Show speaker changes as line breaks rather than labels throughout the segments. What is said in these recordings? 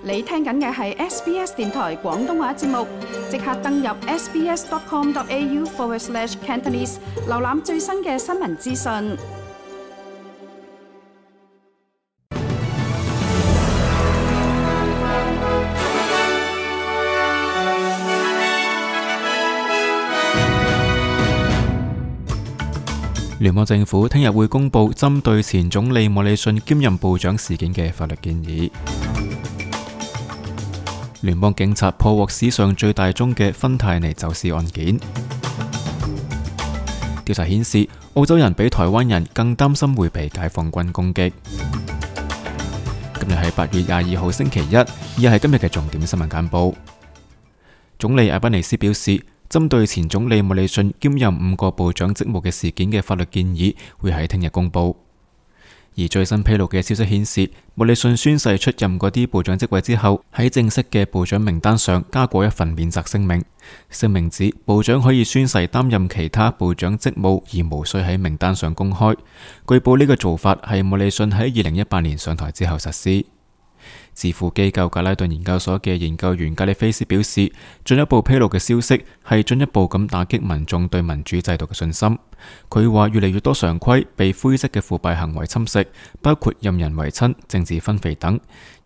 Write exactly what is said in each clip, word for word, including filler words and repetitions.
你聽緊嘅係 S B S 電台廣東話節目，即刻登入 sbs.com.au forward slash Cantonese， 瀏覽最新嘅新聞資訊。
聯邦政府聽日會公布針對前總理莫里遜兼任部長事件嘅法律建議。聯邦警察破獲史上最大宗嘅芬太尼走私案件。調查顯示，澳洲人比台灣人更擔心會被解放軍攻擊。今日係八月廿二號星期一，以下係今日嘅重點新聞簡報。總理阿賓尼斯表示，針對前總理莫里遜兼任五個部長職務嘅事件嘅法律建議會喺聽日公布。而最新披露嘅消息顯示，莫里遜宣誓出任嗰啲部長職位之後，喺正式嘅部長名單上加過一份免責聲明。聲明指部長可以宣誓擔任其他部長職務，而無需喺名單上公開。據報呢個做法係莫里遜喺二零一八年上台之後實施。智庫機構格拉頓研究所嘅研究員格里菲斯表示，進一步披露嘅消息係進一步咁打擊民眾對民主制度嘅信心。佢話越嚟越多常規被灰色嘅腐敗行為侵蝕，包括任人唯親、政治分肥等。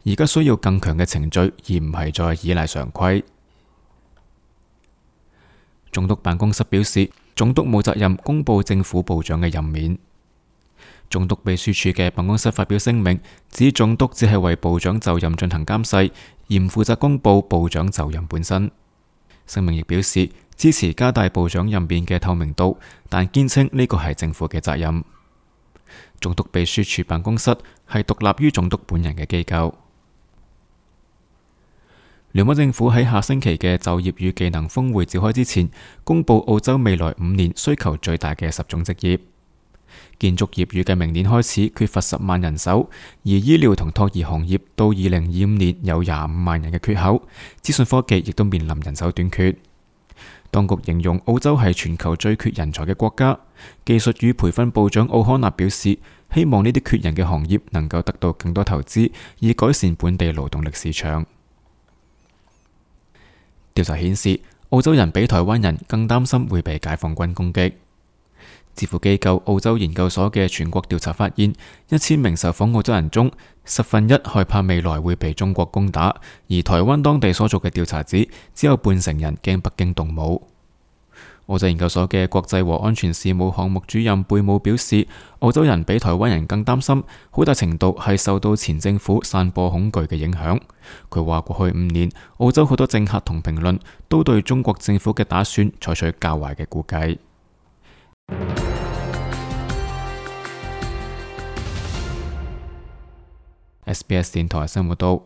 而家需要更強嘅程序，而唔係再依賴常規。總督辦公室表示，總督冇責任公布政府部長嘅任免。總督秘書處嘅辦公室發表聲明，指總督只係為部長就任進行監誓，而唔負責公布部長就任本身。聲明亦表示支持加大部長任免嘅透明度，但堅稱呢個係政府嘅責任。總督秘書處辦公室係獨立於總督本人嘅機構。聯邦政府喺下星期嘅就業與技能峰會召開之前，公布澳洲未來五年需求最大嘅十種職業。建築業預計明年開始缺乏十萬人手，而醫療同托兒行業到二零二五年有廿五萬人嘅缺口。資訊科技亦都面臨人手短缺。當局形容澳洲係全球最缺人才嘅國家。技術與培訓部長奧康納表示，希望呢啲缺人嘅行業能夠得到更多投資，以改善本地勞動力市場。調查顯示，澳洲人比台灣人更擔心會被解放軍攻擊。智庫機構澳洲研究所嘅全國調查發現，一千名受訪澳洲人中，十分一害怕未來會被中國攻打，而台灣當地所做嘅調查指，只有半成人驚北京動武。澳洲研究所嘅國際和安全事務項目主任貝姆表示，澳洲人比台灣人更擔心，好大程度係受到前政府散播恐懼嘅影響。佢話過去五年，澳洲好多政客同評論都對中國政府嘅打算採取較壞嘅估計。S B S 電台新聞報道。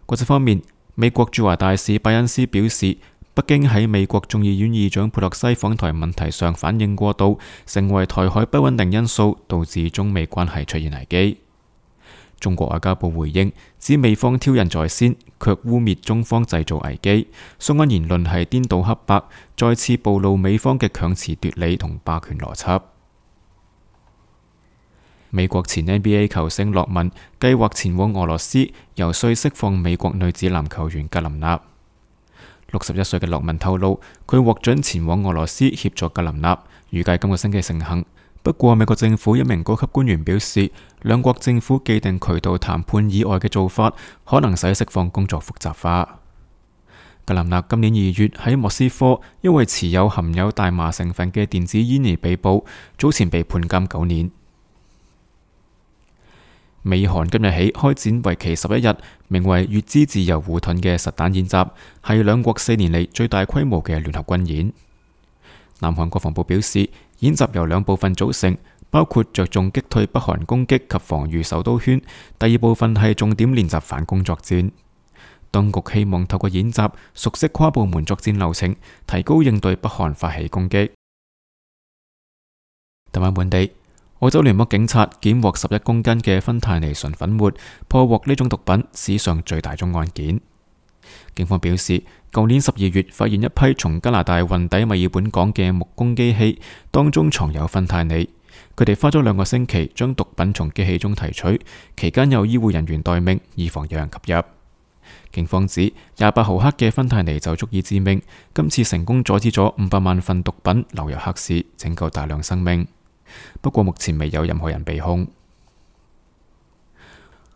國際方面，美國駐華大使拜恩斯表示，北京喺美國眾議院議長佩洛西訪台問題上反應過度，成為台海不穩定因素，導致中美關係出現危機。中國外交部回應指美方挑釁在先，卻污衊中方製造危機，相關言論係顛倒黑白，再次暴露美方嘅強詞奪理同霸權邏輯。美國前 N B A 球星洛文計劃前往俄羅斯游說釋放美國女子籃球員格林納。六十一歲嘅洛文透露，佢獲准前往俄羅斯協助格林納，預計今個星期成行。不過美國政府一名高級官員表示，兩國政府既定渠道談判以外嘅做法，可能使釋放工作複雜化。格林納今年二月喺莫斯科因為持有含有大麻成分嘅電子煙而被捕，早前被判監九年。美韓今日起開展為期十一日，名為乙支自由護盾嘅實彈演習，係兩國四年嚟最大規模嘅聯合軍演。南韓國防部表示，演習由兩部分組成，包括着重擊退北韓攻擊及防禦首都圈，第二部分係重點練習反攻作戰。當局希望透過演習熟悉跨部門作戰流程，提高應對北韓發起攻擊。台灣本地，澳洲聯邦警察檢獲十一公斤嘅芬太尼純粉末，破獲呢種毒品史上最大宗案件。警方表示，舊年十二月發現一批從加拿大運抵墨爾本港嘅木工機器，當中藏有芬太尼。佢哋花咗兩個星期將毒品從機器中提取，期間有醫護人員待命，以防有人吸入。警方指廿八毫克嘅芬太尼就足以致命，今次成功阻止咗五百萬份毒品流入黑市，拯救大量生命。不過目前未有任何人被控。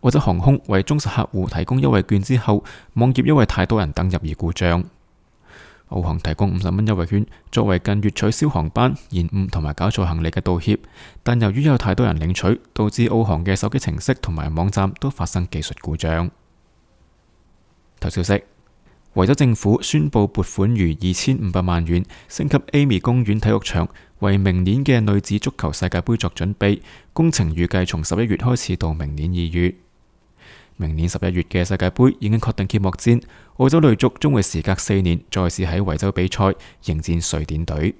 澳洲航空為忠實客戶提供優惠券之後，網頁因為太多人登入而故障。澳航提供五十蚊優惠券作為近月取消航班、延誤同埋搞錯行李嘅道歉，但由於有太多人領取，導致澳航嘅手機程式同埋網站都發生技術故障。頭消息：維州政府宣布撥款逾二千五百萬元升級 Amy 公園體育場，為明年嘅女子足球世界盃作準備。工程預計從十一月開始到明年二月。明年十一月嘅世界盃已經確定揭幕戰，澳洲女足將會時隔四年再次喺維州比賽，迎戰瑞典隊。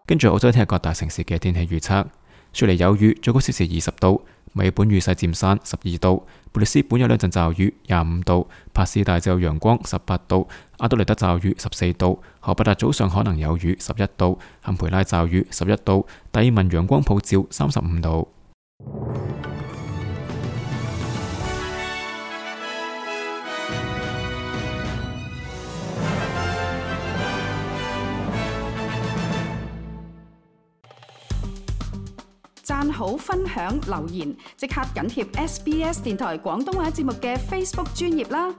跟住澳洲聽日各大城市嘅天氣預測：雪梨有雨，最高攝氏二十度；墨爾本雨勢漸散，十二度；布里斯本有兩陣驟雨，廿五度；帕斯大就有陽光，十八度；阿德萊德驟雨，十四度；荷伯達早上可能有雨，十一度；坎培拉驟雨，十一度；達爾文陽光普照，三十五度。
讚好、分享、留言，即刻緊貼 S B S 電台廣東話節目嘅 Facebook 專頁啦！